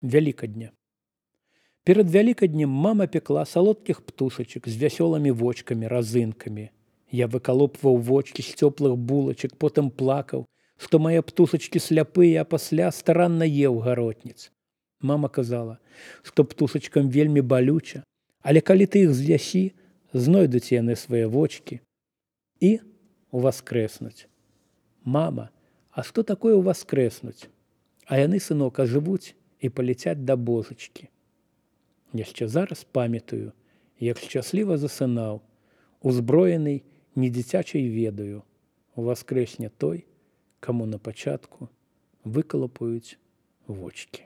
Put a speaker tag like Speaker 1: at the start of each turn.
Speaker 1: Вялікадня. Перад вялікаднем мама пекла салодкіх птушачак з вясёлымі вочкамі, разынкамі. Я выкалопваў вочкі з цёплых булачак, потым плакаў, што мае птушачкі сляпыя, а пасля старанна еў гаротніц. Мама казала, што птушачкам вельмі балюча, але калі ты іх з'ясі, знойдуць яны свае вочкі і уваскрэснуць. Мама, а што такое ўваскрэснуць? А яны, сынок, ажывуць і паляцяць да божачкі. Яшчэ зараз памятаю, як шчасліва засынаў, узброены недзіцячай ведаю. Уваскрэсне той, каму на пачатку выкалапаюць вочкі.